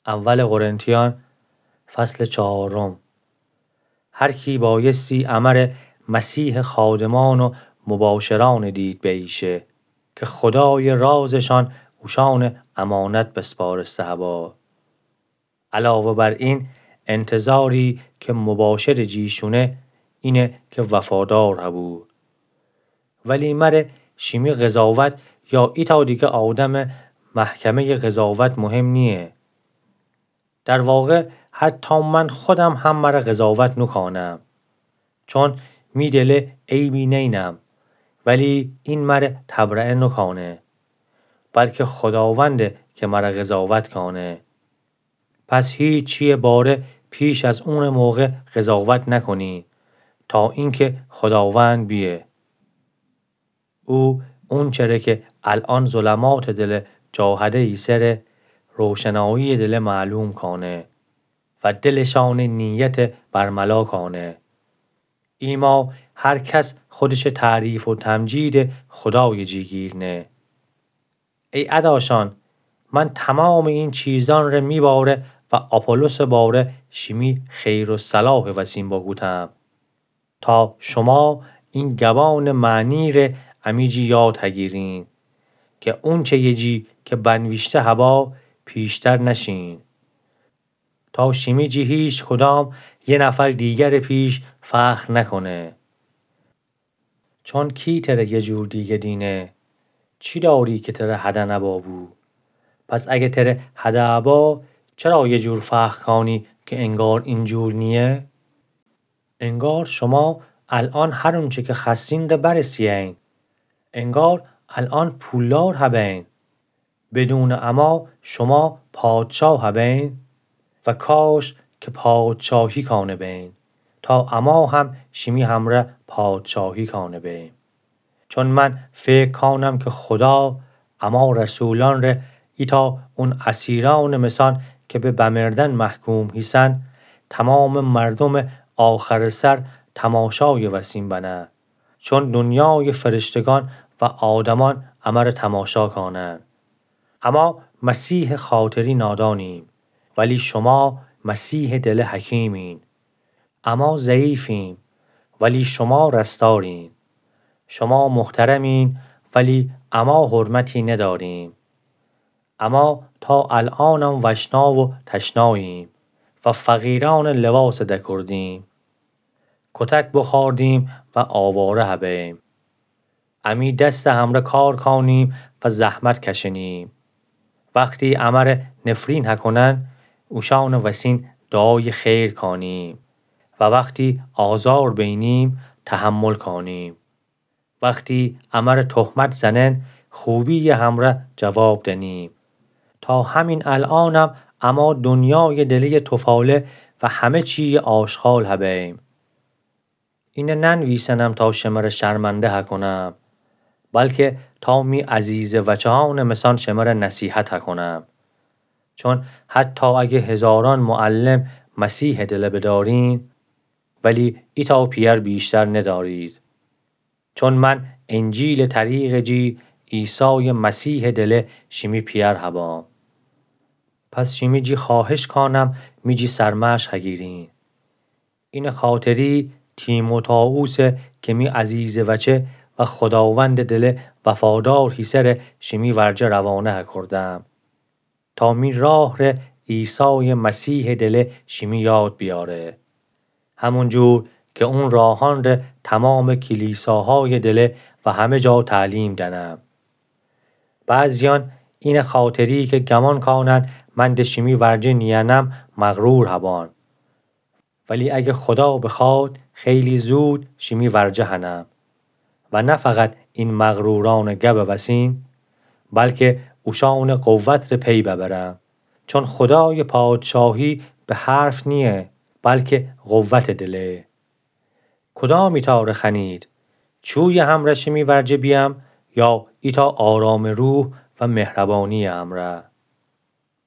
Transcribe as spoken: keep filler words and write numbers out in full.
اول قرنتیان، فصل چهارم. هر کی بایستی امر مسیحٚ خادمان و مباشرأنٚ دید بییشه، که خدایٚ رازشان اوشأنٚ امانت بسپارسته هبا. علاوه بر این، انتظاری که مباشرٚ جی شونه، اینه که وفادار هبو. ولی مره شیمی قضاوت یا ایتأ دیگه آدمٚ محکمه‌یٚ قضاوت مهم نییه. در واقع، حتی من خودم هم مره قضاوت نوکانم. چون می دله عیبی نینم، ولی این مره تبرئه نوکانه، بلکه خداونده که مره قضاوت کانه. پس هیچی‌یٚ باره پیش از اونٚ موقع قضاوت نکنی، تا اینکه خداوند بیه. او اونچره که الأن ظلماتٚ دلٚ جاهده ایسره، روشنایی‌یٚ دله معلوم کانه و دلشأنٚ نیته برملا کانه. ایما هر کس خودشه تعریف و تمجیدٚ خدایٚ جیگیر نه. ای اداشان، من تومامٚ این چیزأن ره می باره و آپولوسٚ باره شیمی خیر و صلاحٚ وسین بوکودم، تا شوما این گبانٚ معنی ره امی جی یاد هگیرین، که اونچه‌یٚ جی که بنویشته هبا پیشتر نشین، تا شیمی جی هیچکدام یه نفر دیگرٚ پیش فخر نکنه. چون کی تره یه جور دیگه دینه؟ چی داری که تره هده نبابو؟ پس اگه تره هده ابا، چرا یه جور فخر کانی که انگار این جور نییه؟ انگار شوما الأن هر اونچه که خوأستین ده برسه‌یین. انگار الأن پولدار هبین. بدونٚ اما شوما پادشاه هبین و کاش که پادشاهی کانه بین، تا اما هم شیمی همره پادشاهی کانه بیم. چون من فکر کانم که خدا اما رسولأن ره ایتأ اون اسیرأنٚ مثأن که به بمردن محکوم هیسن، تومامٚ مردومٚ آخرٚ سر تماشایٚ وسین بنه. چون دونیایٚ فرشتگان و آدمأن امره تماشا کانن. اما مسیحٚ خاطری نادانیم، ولی شوما مسیحٚ دله حکیمین. اما ضعیفیم، ولی شوما رستارین. شوما محترمین، ولی اما حرمتی نداریم. اما تا الأنم وشنا و تشناییم و فقیرأنٚ لباس دکردیم. کتک بخوردیم و آواره هبیم. امی دستٚ همره کار کانیم و زحمت کشنیم. وختی امره نفرین هکنن، اوشأنٚ وسین دعایٚ خیر کانیم و وختی آزار بینیم، تحمل کانیم. وختی امره تهمت زنن، خوبی‌یٚ همره جواب دنیم. تا همین الأنم اما دونیایٚ دله‌یٚ توفاله و همه چی‌یٚ آشغال هبیم. اینه ننویسنم تا شمره شرمنده هکنم، بلکه تا می عزیزٚ وچه‌أنٚ مثأن شمره نصیحت هکنم. چون حتی اگه هزارأن معلم مسیحٚ دله بدارین، ولی ایتأ پی‌یأر بیشتر ندارید. چون من انجیلٚ طریقٚ جی عیسایٚ مسیحٚ دله شیمی پی‌یأر هبام. پس شیمی جی خوأهش کانم می جی سرمشق هگیرین. اینٚ خاطری تیموتائوسٚ که می عزیزٚ وچه و خداوندٚ دله وفادار هیسره شیمی ورجه روانه هکردم. تا می راه ره عیسایٚ مسیحٚ دله شیمی یاد بیاره. همون جور که اون راهأن ره تومامٚ کلیساهایٚ دله و همه جا تعلیم دنم. بعضیأن اینٚ خاطری که گمان کانن من ده شیمی ورجه نیأنم مغرور هبان. ولی اگه خدا بخواد، خیلی زود شیمی ورجه هنم. و نه فقط این مغرورأنٚ گبٚ وسین، بلکه اوشأنٚ قوت ره پی ببرم. چون خدایٚ پادشاهی به حرف نییه، بلکه قوتٚ دله. کدام ایتأ ره خوأنید؟ چویٚ همره شیمی ورجه بیأم، یا ایتأ آرامٚ روح و مهربانی‌یٚ همره؟